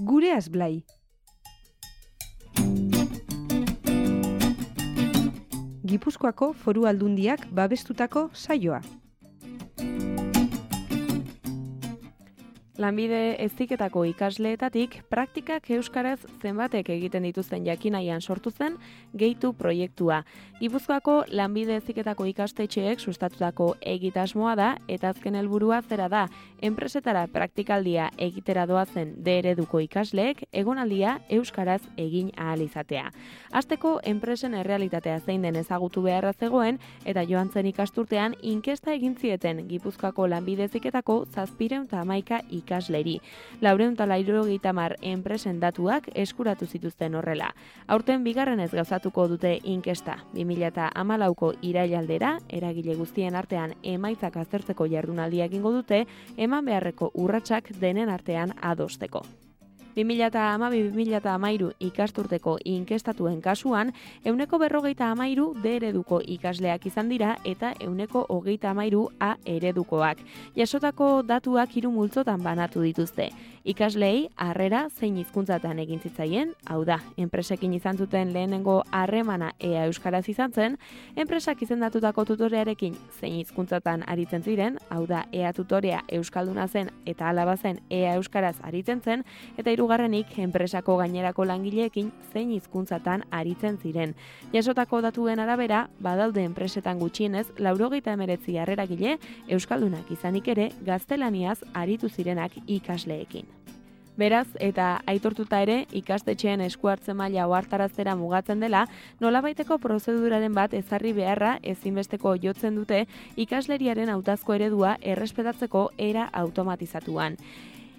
Gureaz Blai. Gipuzkoako Foru Aldundiak babestutako saioa. Lanbide heziketako ikasleetatik praktikak euskaraz zenbatek egiten dituzten jakinaian sortu zen Gehitu proiektua. Gipuzkoako lanbide heziketako ikastetxeek sustatutako egitasmoa da eta azken helburua zera da, enpresetara praktikaldia egitera doazen D ereduko ikasleek egonaldia euskaraz egin ahal izatea. Hasteko enpresen errealitatea zein den ezagutu beharra zegoen eta joan zen ikasturtean inkesta egin zieten Gipuzkoako lanbide heziketako 711 ikasleri. 480 enpresen datuak eskuratu zituzten horrela. Aurten bigarrenez gauzatuko dute inkesta. 2014ko irailaldera, eragile guztien artean emaitzak aztertzeko jardunaldia egingo dute, eman beharreko urratsak denen artean adosteko. 2012-2013 ikasturteko inkestatuen kasuan, 153 D ereduko ikasleak izan dira eta 133 A eredukoak. Jasotako datuak 3 multzotan banatu dituzte. Ikasleei harrera zein hizkuntzatan egin zitzaien, hau da, enpresekin izan zuten lehenengo harremana ea euskaraz izan zen, enpresak izendatutako tutorearekin zein hizkuntzatan aritzen ziren, hau da, ea tutorea euskalduna zen eta alaba zen ea euskaraz aritzen zen, eta hirugarrenik enpresako gainerako langileekin zein hizkuntzatan aritzen ziren. Jasotako datuen arabera, badaude enpresetan gutxienez 99 harreragile euskaldunak izanik ere gaztelaniaz aritu zirenak ikasleekin. Beraz, eta aitortuta ere, ikastetxeen esku hartze maila ohartaraztera mugatzen dela, nolabaiteko prozeduraren bat ezarri beharra ezinbesteko jotzen dute ikasleriaren hautazko eredua errespetatzeko era automatizatuan.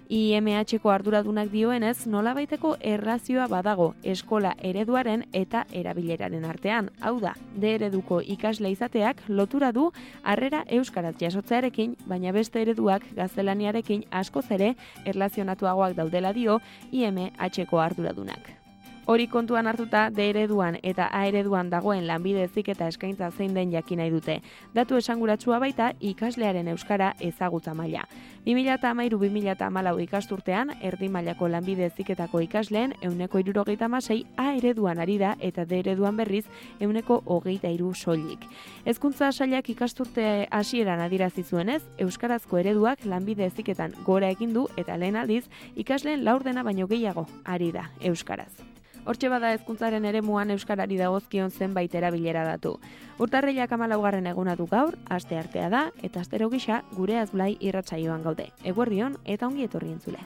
IMH-ko arduradunak dioenez, nolabaiteko erlazioa badago eskola ereduaren eta erabileraren artean. Hau da, D ereduko ikasle izateak lotura du harrera euskaraz jasotzearekin, baina beste ereduak gaztelaniarekin askoz ere erlazionatuagoak daudela dio IMH-ko arduradunak. Hori kontuan hartuta, D ereduan eta A ereduan dagoen lanbide heziketa eskaintza zein den jakin nahi dute. Datu esanguratsua baita ikaslearen euskara ezagutza maila. 2013-2014 ikasturtean, erdi mailako lanbide heziketako ikasleen 176 A ereduan ari da eta D ereduan berriz 123 soilik. Hezkuntza sailak ikasturte hasieran adierazi zuenez, euskarazko ereduak lanbide heziketan gora egin du eta lehen aldiz ikasleen laurdena baino gehiago ari da euskaraz. Hortxe bada hezkuntzaren eremuan euskarari dagozkion zenbait erabilera datu. Urtarrilak 14. eguna du gaur, asteartea da, eta astero gisa Gureaz Blai irratsaioan gaude. Eguerdion eta ongi etorri entzule.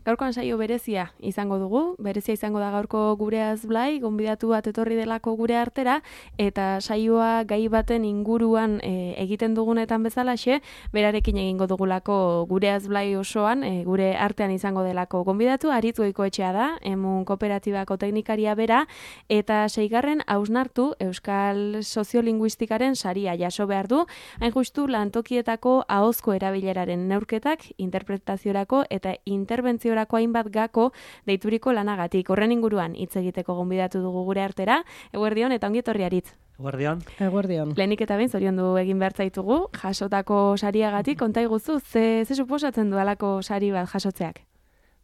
Gaurkoan saio berezia izango dugu, berezia izango da gaurko Gureaz Blai, gonbidatu bat etorri delako gure artera, eta saioa gai baten inguruan egiten dugunetan bezalaxe, berarekin egingo dugulako Gureaz Blai osoan, gure artean izango delako gonbidatu, Aritz Goikoetxea da, Emun Kooperatibako teknikaria bera, eta 6. hausnartu Euskal Soziolinguistikaren saria jaso behar du, hain justu lantokietako ahozko erabileraren neurketak, interpretaziorako eta interbentzio hainbat gako deituriko lanagatik. Horren inguruan hitz egiteko gonbidatu dugu gure artera. Eguerdion eta ongi etorri Aritz. Eguerdion. Eguerdion. Lehenik eta behin zoriondu egin behar zaitugu, jasotako sariagatik, konta iguzu, ze suposatzen du alako sari bat jasotzeak?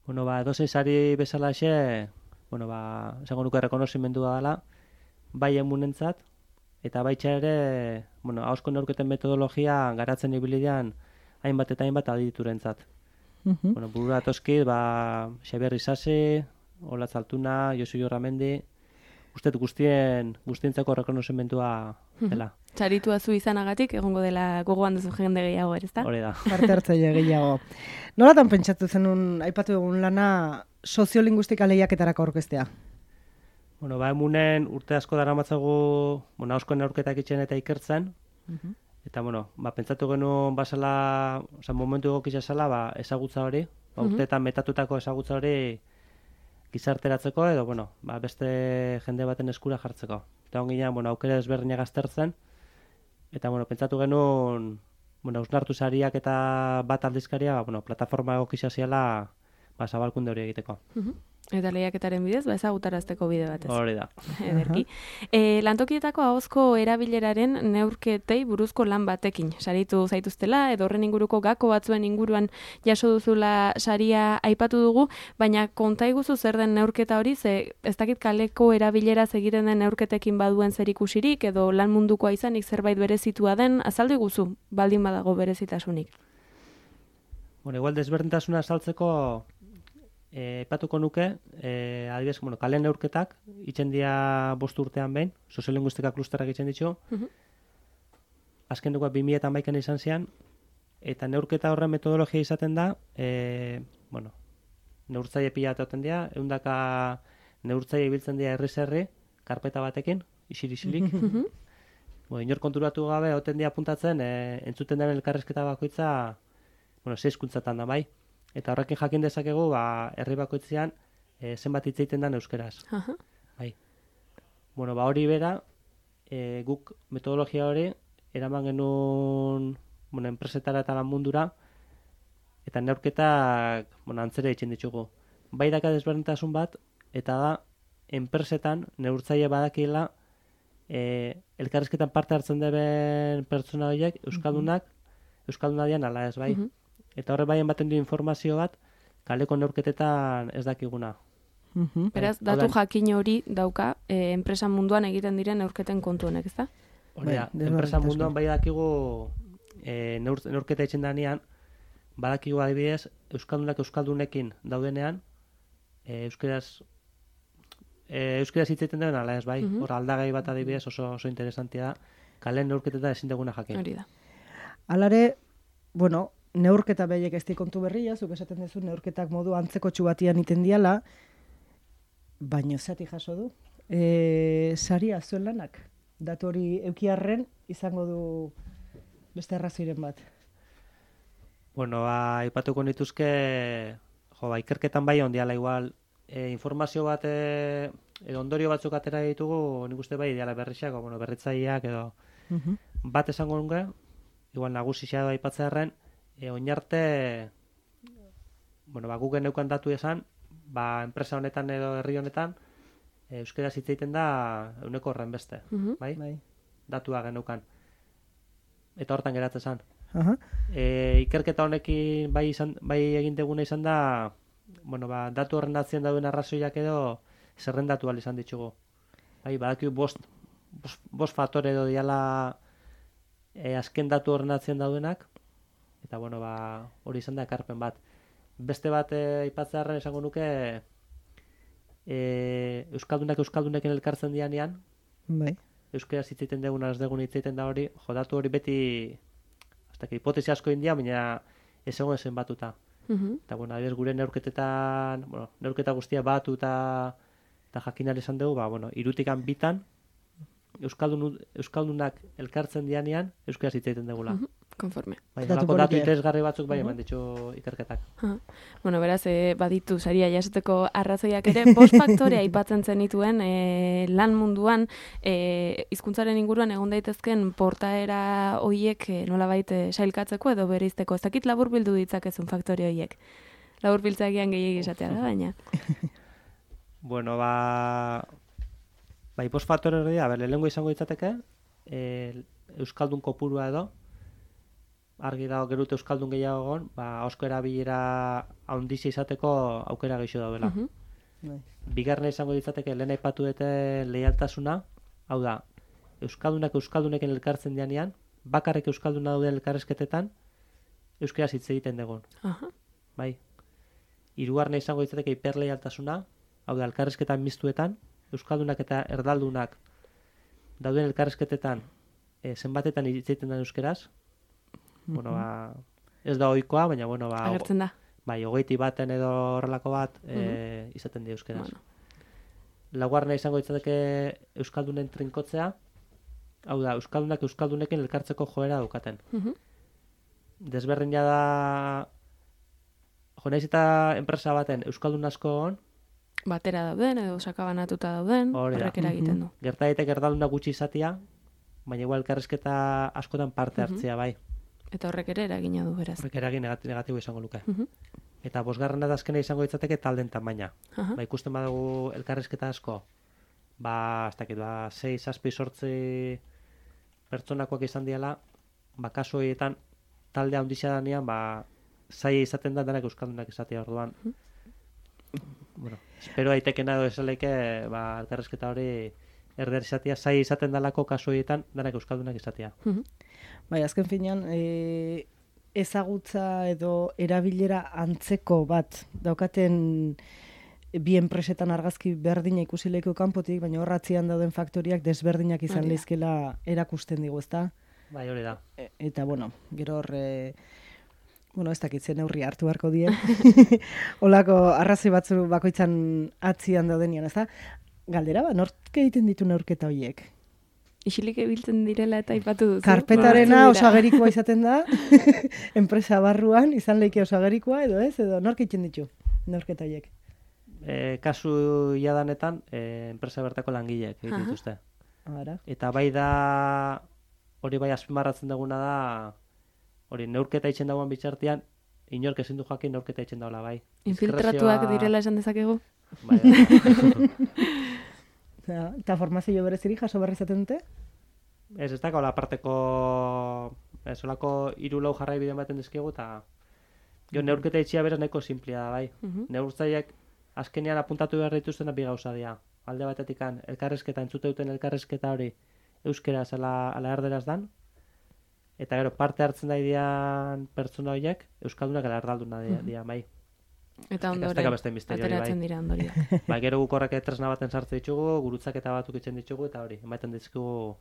Dozei sari bezalaxe, esango nuke rekonozimendua dela, bai emunentzat, eta baitxa ere, ahozko neurketen metodologia garatzen ibilidean hainbat eta hainbat aditurentzat. Burura atoskit, Xabier Isasi, Olatz Altuna, Josu Jorramendi, ustet guztientzako rekonozimendua dela. Txaritua zu izanagatik, egongo dela gogoan duzu jende gehiago, ezta? Hori da. Parte hartzaile gehiago. Nolatan pentsatu zenun, aipatu egun lana, soziolinguistika lehiaketarako aurkeztea? Emunen urte asko daramatzagu, ahozko neurketak itxen eta ikertzen, eta, pentsatu genuen basala, momentu egokitza zela, ezagutza hori, urteetan metatutako ezagutza hori gizarteratzeko edo, beste jende baten eskura jartzeko. Eta onginean, aukera ezberdinak aztertzen, eta, pentsatu genuen, hausnartu sariak eta bat aldizkaria, plataforma egokitza ziala, zabalkunde hori egiteko. Eta lehiaketaren bidez, ezagutarazteko bide batez. Hori da. Ederki. Lantokietako ahozko erabileraren neurketei buruzko lan batekin saritu zaituztela, edo horren inguruko gako batzuen inguruan jaso duzula saria aipatu dugu, baina konta iguzu zer den neurketa hori, ze ez dakit kaleko erabileraz egiten den neurketekin baduen zerikusirik, edo lan mundukoa izanik zerbait berezitua den, azaldu iguzu, baldin badago berezitasunik. Bueno, igual desberdintasuna azaltzeko aipatuko nuke, adibidez, kale neurketak, itzen dira 5 urtean behin, soziolinguistika klusterrak itzen ditu, azken dugu 2011an izan zian, eta neurketa horren metodologia izaten da, neurtzaile pila bat egoten dira, 100 neurtzaile ibiltzen dira herri-herri, karpeta batekin, isirilik. Inor konturatu gabe, egoten dira puntatzen, entzuten den elkarrezketa bakoitza, 6 hizkuntzatan da bai. Eta horrekin jakin dezakegu, herri bakoitzean zenbat hitz egiten den euskeraz. Bai. Hori bera, guk metodologia hori eraman genuen enpresetara eta lan mundura, eta neurketak antzera egiten ditugu. Bai daka desberdintasun bat, eta da, enpresetan neurtzaile badakiela elkarrizketan parte hartzen deben pertsona horiek, euskalduna dian ala ez, bai. Eta horre bai ematen du informazio bat, kaleko neurketetan ez dakiguna. Beraz, datu jakin hori dauka enpresa munduan egiten diren neurketen kontu honek, ez da? Hori da, enpresa munduan bai dakigu neurketa egiten danean, badakigu adibidez, euskaldunekin daudenean, euskeraz hitz egiten duen ala ez, bai. Hor aldagai bat adibidez oso interesantia da, kalen neurketetan ezin duguna jakin. Hori da. Alare, neurketa behiek ez kontu berria, zuk esaten duzu neurketak modu antzeko txubatian iten diala, baino zati jaso du. Saria zuen lanak, datu hori eukiarren izango du beste arrazoiren bat. Aipatuko nituzke, ikerketan bai ondiala igual, informazio bat edo ondorio batzuk atera ditugu, nik uste bai ideala berritxak, berritzaileak edo bat esango nuke, igual nagusixea da aipatzearren, oinarte, guk geneukan datu esan, enpresa honetan edo herri honetan, euskaraz hitz egiten da 100 horren beste, bai? Datua geneukan. Eta hortan geratzen zen. Ikerketa honekin bai egin deguna izan da, datu horren atzien dauden arrazoiak edo zerrendatu ahal izan ditugu. Bai, badakigu 5 faktore edo diala azken datu horren atzien daudenak, eta hori izan da ekarpen bat. Beste bat aipatzearren esango nuke euskaldunekin elkartzen dianean, euskaraz hitz egiten deguna ez degun hitz egiten da hori, datu hori beti hipotesi asko india, baina ez egon zen batuta. Eta adibidez gure neurketetan, neurketa guztia batu eta jakinari esan dugu, 3 bitan euskaldunak elkartzen dianean euskaraz hitz egiten degula. Konforme. Datu interesgarri batzuk bai eman ditu ikerketak. Beraz, baditu saria jasoteko arrazoiak ere, 5 faktore aipatzen zenituen lan munduan, hizkuntzaren inguruan egon daitezken portaera hoiek nolabait sailkatzeko edo bereizteko. Ez dakit laburbildu ditzakezun faktore hoiek. Laburbiltzagian gehiegi esatea da, baina. 5 faktore hori da, lehenengo izango ditzateke, euskaldun kopurua edo, argi dago gerut euskaldun gehiago egon, ahozko erabilera handizi izateko aukera gehiago daudela. Bigarrena izango ditzateke lehen aipatu dute leialtasuna, hau da, euskaldunekin elkartzen dianean, bakarrik euskalduna dauden elkarrezketetan, euskaraz hitz egiten dugun. Bai. Hirugarrena izango ditzateke hiperleialtasuna, hau da, elkarrezketan miztuetan, euskaldunak eta erdaldunak dauden elkarrezketetan zenbatetan hitz egiten den euskaraz, ez da ohikoa, baina agertzen da. Bai, 21 edo horrelako bat izaten di euskaraz. Laugarrena izango ditzateke euskaldunen trinkotzea, hau da, euskaldunak euskaldunekin elkartzeko joera daukaten. Desberdina da, naiz eta enpresa baten euskaldun asko egon, batera dauden edo sakabanatuta dauden, horrek eragiten du. Gerta daiteke erdalduna gutxi izatea, baina igual elkarrizketa askotan parte hartzea bai. Eta horrek ere eragina du beraz. Horrek eragin negatibo izango luke. eta bosgarrena da azkena izango ditzateke taldeen tamaina. Aha. Ba, ikusten badugu elkarrizketa asko, ez dakit, 6, 7, 8 pertsonakoak izan diala, kasu horietan talde handixea danean, zaila izaten da denak euskaldunak izatea orduan. Bueno, espero daitekena edo esaleike, elkarrizketa hori erder izatea, zaila izaten dalako kasu horietan denak euskaldunak izatea. Bai, azken finean, ezagutza edo erabilera antzeko bat daukaten bi enpresetan argazki berdina ikusi lehiko kanpotik, baina horratzean dauden faktoriak desberdinak izan lehizkela erakusten digu, ezta? Bai, hori da. Eta, bueno, gero hor, ez dakitzen neurri hartu beharko die. Olako arrazoi batzu bakoitzan atzian daudenian, ezta? Galdera, nork egiten ditu neurketa horiek? Isilik ebiltzen direla eta aipatu duzu. Karpetarena osagerikoa izaten da, enpresa barruan izan leike osagerikoa, edo ez, edo nork egiten ditu neurketa horiek? Kasu jadanetan, enpresa bertako langileek egiten dituzte. Eta bai da, hori bai azpimarratzen duguna da, hori neurketa itxen dagoen bitxartean, inork ezin du jakin neurketa itxen dagoela bai. Infiltratuak direla esan dezakegu? Bai. Eta formazio bereziri jaso berri izaten dute? Ez dako, aparteko, olako 3-4 jarrai bideo baten dizkigu, eta neurketa itxia beraz nahiko simplia da bai. Neurtzaileak azkenean apuntatu behar dituzten bi gauza dira. Alde batetik elkarrezketa, entzute duten elkarrezketa hori euskeraz ala erderaz dan, eta gero parte hartzen da idean pertsona horiek euskaldunak ala erdalduna dira bai. Eta ondoren, ateratzen dira ondoriak. Gero guk horrek tresna baten sartzen ditugu, gurutzaketa batzuk itzen ditugu, eta hori, ematen dizkigu,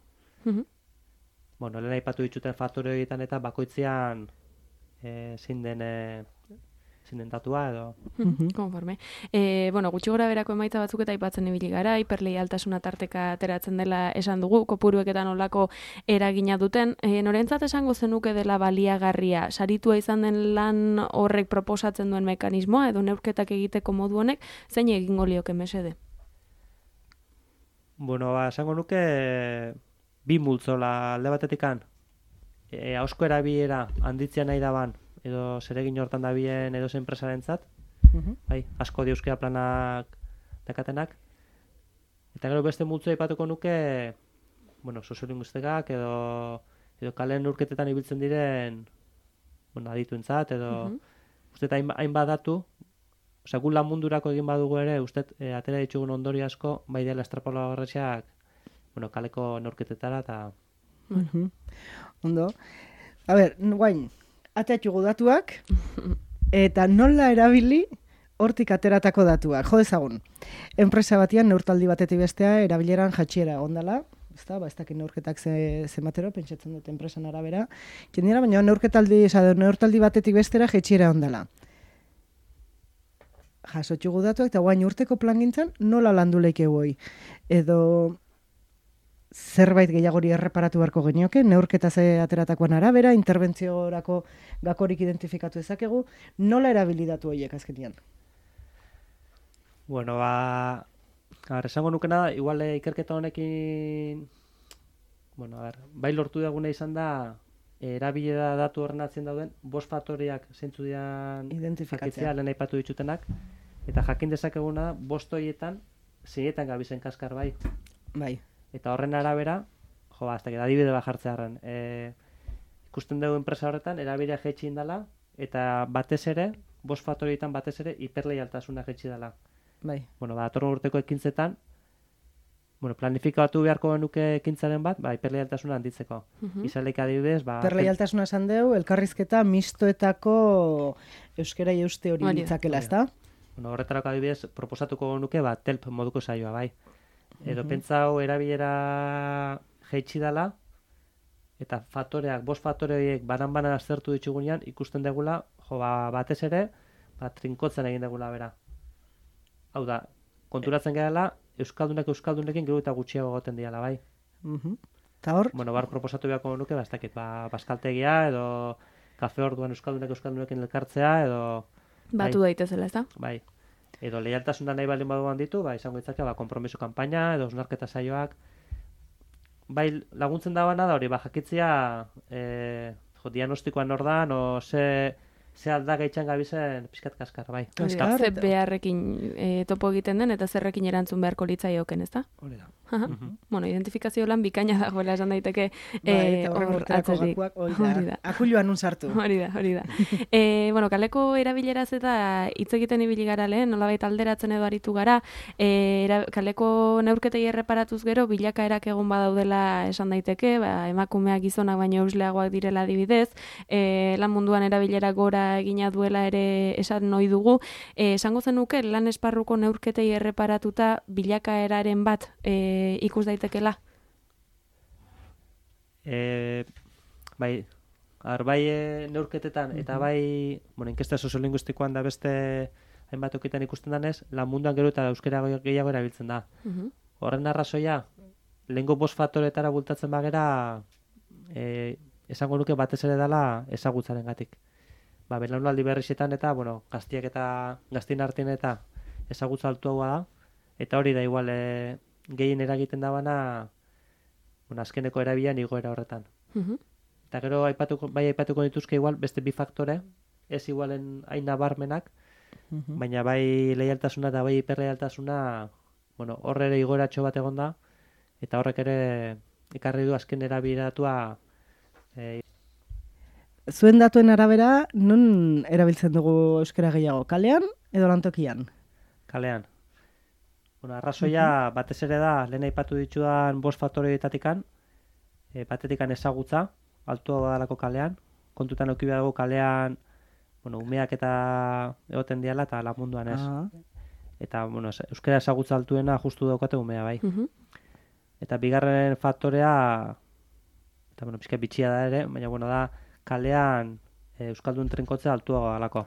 lehen aipatu dituten faktore horietan eta bakoitzean zein den datua edo. Konforme. Gutxi gora berako emaitza batzuk eta aipatzen ibili gara, hiperleialtasuna tarteka ateratzen dela esan dugu, kopurueketan olako eragina duten. Norentzat esango zenuke dela baliagarria, saritua izan den lan horrek proposatzen duen mekanismoa edo neurketak egiteko modu honek, zein egingo lioke mesede? Esango nuke bi multzola alde batetikan, ahozko erabilera handitzea nahi daban, edo zeregin hortan dabien edo zen enpresarentzat, asko diuzkea planak dakatenak. Eta gero beste multzoa aipatuko nuke, soziolinguistikak edo kalen neurketetan ibiltzen diren adituentzat, edo uste hainbat datu, gu lan mundurako egin badugu ere, uste atera ditugun ondori asko, bai dela estrapolagarretxeak, kaleko neurketetara, eta... Ondo. A ber, guain, ateatxugu datuak, eta nola erabili hortik ateratako datuak. Jo dezagun, enpresa batian neurtaldi batetik bestea erabileran jatxiera ondala, ez dakit neurketak zematero, pentsatzen dut enpresan arabera, jendira, baina neurtaldi batetik bestera jatxiera ondala. Jasotxugu datuak, eta guain urteko plangintzan nola landu leike hoi. Edo... zerbait gehiagori erreparatu beharko genioke, neurketa ze ateratakoan arabera, interventziorako gakorik identifikatu ezakegu, nola erabilidatu horiek azkenian? Esango nukena da, igual ikerketa honekin, bai lortu duguna izan da, erabilera datu horren atzen dauden, 5 faktoreak zeintzu dian identifikatzea, lehen aipatu ditutenak, eta jakin dezakeguna da, 5 horietan, zeinetan gabizen kaskar bai. Bai. Eta horren arabera, adibide bat jartzearen, ikusten dugu enpresa horretan, erabilera jaitsi indala, eta batez ere, 5 faktorietan batez ere, hiperleialtasuna jaitsi dela. Bai. Datorren urteko ekintzetan, planifikatu beharko genuke ekintzaren bat, hiperleialtasuna handitzeko. Izaleik adibidez, hiperleialtasuna esan dugu, elkarrizketa mistoetako euskera euste hori ditzakela, ezta? Horretarako adibidez, proposatuko genuke, telp moduko saioa, bai. Edo pentsau erabilera jaitsi dela, eta faktoreak, 5 faktore horiek banan aztertu ditugunean, ikusten degula, batez ere, trinkotzen egin degula bera. Hau da, konturatzen gehala, euskaldunekin gero eta gutxiago goten diala, bai. Eta hor? Bar proposatu beharko nuke, baskaltegia, edo kafe orduan euskaldunekin elkartzea, edo... Batu daitezela, ez da? Bai. Edo leialtasuna nahi baldin baduan ditu, izango ditzake, konpromiso kanpaina, edo osnarketa saioak. Bai, laguntzen dabana da hori, jakitzea diagnostikoan ordan, o ze ze aldagaitzan gabizen pixkat kaskar, bai. Hori da, ze beharrekin topo egiten den, eta zerrekin erantzun beharko litzaioken, ez da? Hori da. Bueno, identifikazio lan bikaina dagoela esan daiteke hor atzetik. Hori da. Akuluan un sartu. Hori da. Bueno, kaleko erabileraz eta hitz egiten ibili gara lehen, nolabait alderatzen edo aritu gara, kaleko neurketei erreparatuz gero, bilakaerak egon badaudela esan daiteke, emakumeak gizonak baino eusleagoak direla adibidez, lan munduan erabilera gora egina duela ere esan noi dugu, esango zenuke lan esparruko neurketei erreparatuta bilakaeraren bat ikus daitekela? Bai, neurketetan, eta bai, inkesta soziolinguistikoan da beste hainbat okitan ikusten danez, lan munduan gero eta euskara gehiago erabiltzen da. Horren arrazoia, lehengo 5 faktoretara bultatzen bagera, esango nuke batez ere dela ezagutzaren gatik. Belaunaldi berrixetan eta, gaztiak eta gaztien artean eta ezagutza altuagoa da, eta hori da igual gehien eragiten dabana azkeneko erabilan igoera horretan. Eta gero aipatuko dituzke igual beste 2 faktore, ez igualen hain nabarmenak, baina bai leialtasuna eta bai hiperleialtasuna, horre ere igoeratxo bat egon da, eta horrek ere ekarri du azken erabileratua. Zuen datuen arabera, non erabiltzen dugu euskara gehiago? Kalean edo lantokian? Kalean. Arrazoia batez ere da, lehen aipatu ditudan 5 faktoreetatikan, batetikan ezagutza, altua dalako kalean, kontutan eduki behar dugu kalean, umeak eta egoten diala eta lan munduan ez. Eta, euskara ezagutza altuena justu daukate umea, bai. Eta bigarren faktorea, eta, pixka bitxia da ere, baina, da, kalean euskaldun trenkotzea altua dalako.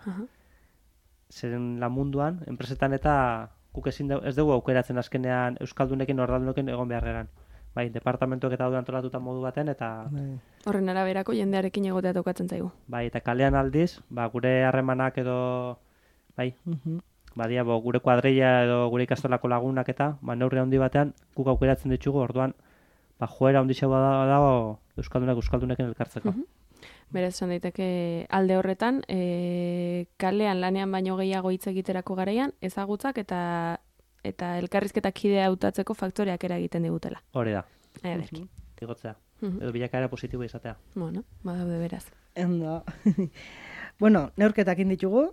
Zeren lan munduan, enpresetan eta guk ez dugu aukeratzen azkenean euskaldunekin ordaldunekin egon beharreran. Bai, departamentuak eta daude antolatuta modu baten, eta... Horren araberako jendearekin egotea tokatzen zaigu. Bai, eta kalean aldiz, gure harremanak edo... Bai, badia, gure kuadrilla edo gure ikastolako lagunak eta, neurri handi batean, guk aukeratzen ditugu, orduan, joera handi xau dago euskaldunekin elkartzeko. Beraz, esan daiteke alde horretan, kalean lanean baino gehiago hitz egiterako garaian, ezagutzak eta elkarrizketak kidea hautatzeko faktoreak eragiten digutela. Hori da. Ederki. Igotzea. Edo bilakaera positibo izatea. Badaude beraz. Endo. Neurketak inditugu,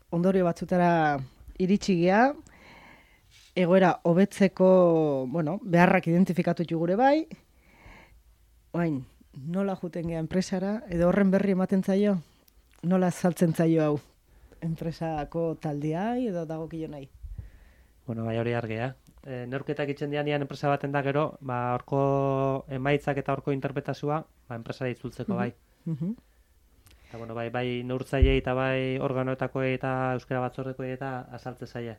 ondorio batzutara iritsi gea, egoera hobetzeko, beharrak identifikatu gure bai, oain, nola juten gea enpresara, edo horren berri ematen zaio? Nola saltzen zaio hau? Enpresako taldeai edo dagokio nahi? Bai hori argia. Neurketak itzen dianean enpresa baten da gero, horko emaitzak eta horko interpretazioa, enpresara itzultzeko bai. Eta bai neurtzailei eta bai organoetakoei eta euskara batzordekoei eta azaltze zaie.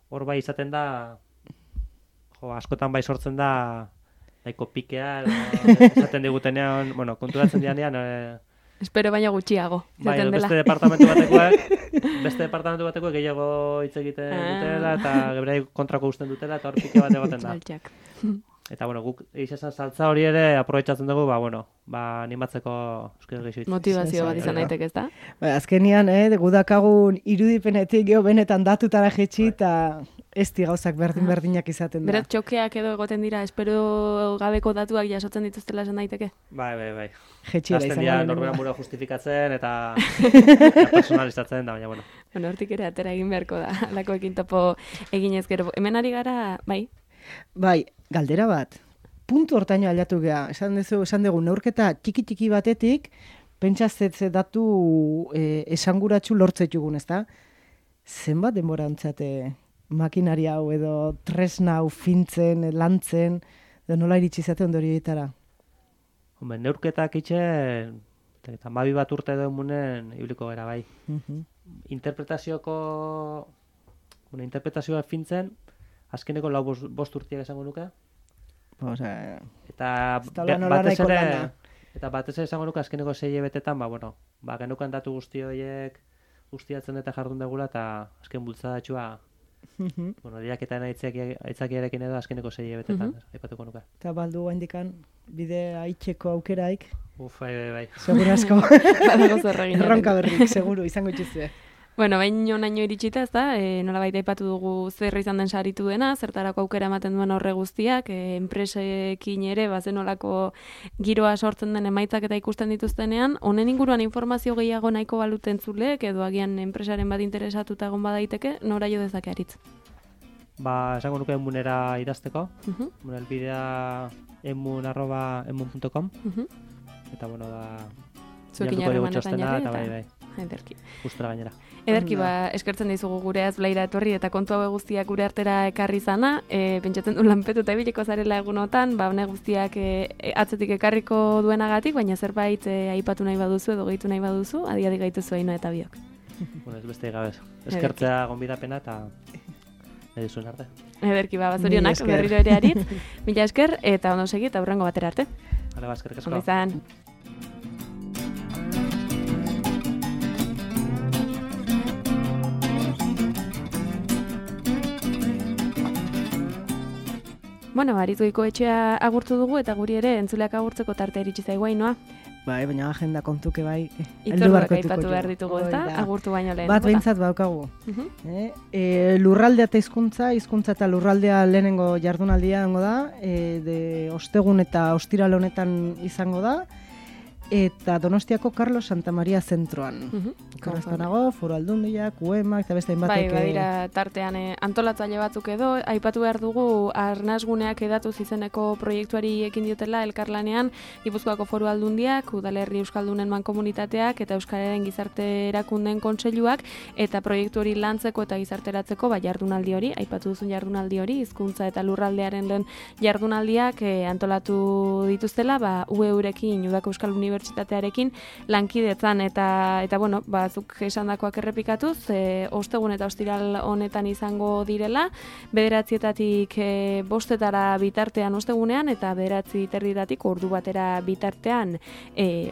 Hor bai izaten da, askotan bai sortzen da, nahiko pikea, esaten digutenean, konturatzen dianean... Espero baina gutxiago. Bai, beste departamentu batekoek gehiago hitz egiten dutela, eta geberai kontrako usten dutela, eta hor pike bat egoten da. Eta, guk izan saltza hori ere aprobetxatzen dugu, animatzeko euskara gehiago. Motivazio bat izan daiteke, ez da? Azkenian, gudakagun irudipenetik geho benetan datutara jetxi, eta ez gauzak berdinak izaten da. Berat txokeak edo egoten dira, espero gabeko datuak jasotzen dituztela esan daiteke? Bai. Jetxira izan dira norbera mura justifikatzen eta personalizatzen da, baina, hortik ere atera egin beharko da, alakoekin topo eginez gero. Hemen ari gara, bai? Bai, galdera bat. Puntu hortaino aldatu gea. Esan dugu, neurketa txiki batetik, pentsazetze datu esanguratsu lortzetugun, ez da? Zenbat denbora antzate makinaria hau edo tresna hau fintzen, lantzen, edo nola iritsi zate ondorioetara? Neurketak itxen, eta 12 bat urte edo emunen ibiliko gara bai. Interpretazioa fintzen, azkeneko 5 urtiak esango nuke. Eta batez ere esango nuke azkeneko 6 hilabetetan, genukan datu guzti horiek guztiatzen eta jardun degula, eta azken bultzadatxua Bueno, diaketan aitzakiarekin edo azkeneko 6 hilabetetan, aipatuko nuke. Eta baldu gaindikan bide aitzeko aukeraik. Bai. Seguro asko. Badago zer egin. Erronka berrik, seguro, izango itxizue. Bueno, bain honaino iritsita, ez da, nolabait aipatu dugu zer izan den saritu dena, zertarako aukera ematen duen horre guztiak, enpresekin ere, bazenolako giroa sortzen den emaitzak eta ikusten dituztenean, honen inguruan informazio gehiago nahiko baluten zuleek, edo agian enpresaren bat interesatuta egon badaiteke, nora jo dezake aritz? Esango nuke emunera idazteko, elbidea emun@emun.com, eta bueno, zuekin harremanetan jarri, eta bai. Ederki. Gustura gainera. Ederki, eskertzen dizugu gure azblaira etorri eta kontu hau guztiak gure artera ekarri zana. Pentsatzen du lanpetu eta ibiliko zarela egunotan, hone guztiak atzetik ekarriko duenagatik, baina zerbait aipatu nahi baduzu edo gehitu nahi baduzu, adi gaituzu Ainhoa eta biok. Bueno, ez beste gabez. Eskertzea gonbidapena eta nahi duzuen arte. Ederki, zorionak berriro ere aritz. Mila esker eta ondo segi eta hurrengo batera arte. Hala, eskerrik asko. Ondo izan. Bueno, Aritgoiko etxea agurtu dugu eta guri ere entzuleak agurtzeko tartea iritsi zaigu Ainhoa. Bai, baina agenda kontuke bai. Itzorduak aipatu behar ditugu, ezta? Agurtu baino lehen. Bat behintzat baukagu. Lurraldea eta hizkuntza eta lurraldea lehenengo jardunaldia izango da, ostegun eta ostiral honetan izango da, eta Donostiako Carlos Santa Maria zentroan. Korreztanago, Foru Aldundiak, UEMak, eta beste hainbatek... Bai, badira tartean antolatzaile batzuk edo, aipatu behar dugu arnasguneak edatuz izeneko proiektuari ekin diotela elkarlanean, Gipuzkoako Foru Aldundiak, Udalerri Euskaldunen Mankomunitateak eta Euskararen Gizarte Erakundeen Kontseiluak, eta proiektu hori lantzeko eta gizarteratzeko jardunaldi hori, aipatu duzun jardunaldi hori, hizkuntza eta lurraldearen lehen jardunaldiak antolatu dituztela, UEurekin, Udako Euskal Unibertsitatearekin lankidetzan eta bueno, zuk esandakoak errepikatuz, ostegun eta ostiral honetan izango direla, 9:00-etatik 5:00 bitartean ostegunean eta 9:30-etatik ordu batera bitartean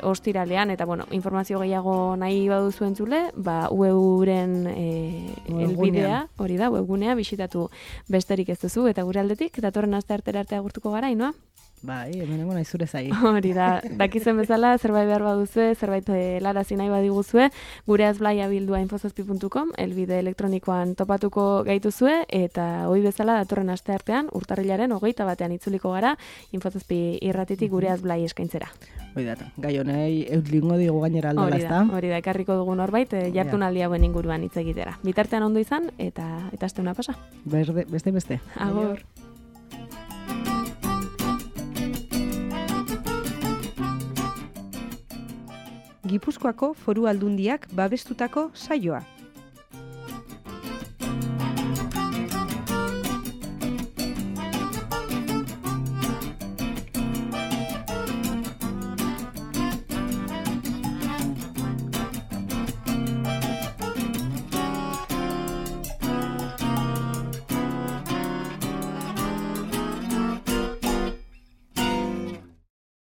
ostiralean, eta bueno, informazio gehiago nahi baduzu entzule, UEuren elbidea, hori da, webgunea bisitatu besterik ez duzu, eta gure aldetik, datorren asteartera arte agurtuko gara, Ainhoa? Bai, hemenengo nahi zure zai. Hori da, dakizen bezala, zerbait behar baduzue, zerbait larazi nahi badiguzue, gure azblaia bildua infozazpi.com, elbide elektronikoan topatuko gaituzue, eta hoi bezala datorren asteartean, urtarrilaren 21 itzuliko gara, Infozazpi irratitik gure azblai eskaintzera. Hori da, gai honei eutlingo digu gainera aldola, ezta? Hori da, ekarriko dugun horbait, jardunaldi hauen inguruan hitz egitera. Bitartean ondo izan, eta asteuna pasa. Beste. Agur. Gipuzkoako Foru Aldundiak babestutako saioa.